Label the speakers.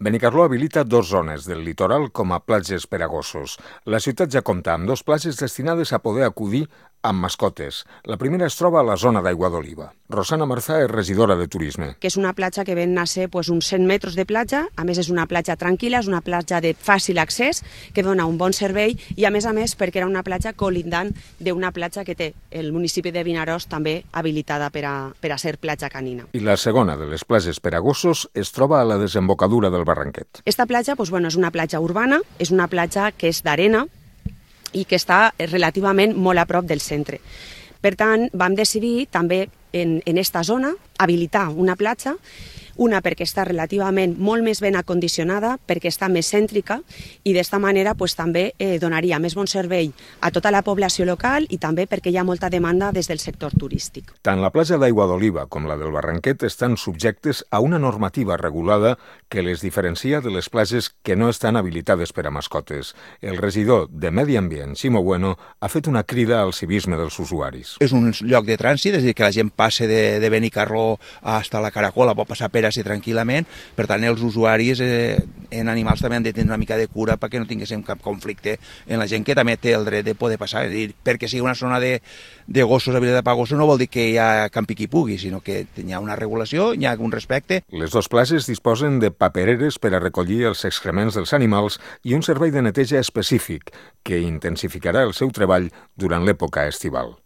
Speaker 1: Benicarló habilita dues zones del litoral com a platges per a gossos. La ciutat ja compta amb dues platges destinades a poder acudir amb mascotes. La primera es troba a la zona d'Aigua d'Oliva. Rosana Marzà és regidora de Turisme.
Speaker 2: Que és una platja que ven a ser uns 100 metres de platja, a més és una platja tranquil·la, és una platja de fàcil accés, que dona un bon servei i a més perquè era una platja colindant d'una platja que té el municipi de Vinaròs també habilitada per a ser platja canina.
Speaker 1: I la segona de les platges per a gossos es troba a la desembocadura del Barranquet.
Speaker 2: Esta platja és una platja urbana, és una platja que és d'arena i que està relativament molt a prop del centre. Per tant, vam decidir també en esta zona habilitar una platja, una perquè està relativament molt més ben acondicionada, perquè està més cèntrica i d'esta manera també donaria més bon servei a tota la població local i també perquè hi ha molta demanda des del sector turístic.
Speaker 1: Tant la platja d'Aigua d'Oliva com la del Barranquet estan subjectes a una normativa regulada que les diferencia de les platges que no estan habilitades per a mascotes. El regidor de Medi Ambient, Ximo Bueno, ha fet una crida al civisme dels usuaris.
Speaker 3: És un lloc de trànsit, és a dir, que la gent passe de Benicarló fins a la Caracola, pot passar per ací tranquil·lament. Per tant, els usuaris en animals també han de tenir una mica de cura perquè no tinguéssim cap conflicte en la gent que també té el dret de poder passar. És a dir, perquè sigui una zona de gossos habilitada per a gossos no vol dir que hi ha campi qui pugui, sinó que hi ha una regulació, hi ha un respecte.
Speaker 1: Les dues platges disposen de papereres per a recollir els excrements dels animals i un servei de neteja específic que intensificarà el seu treball durant l'època estival.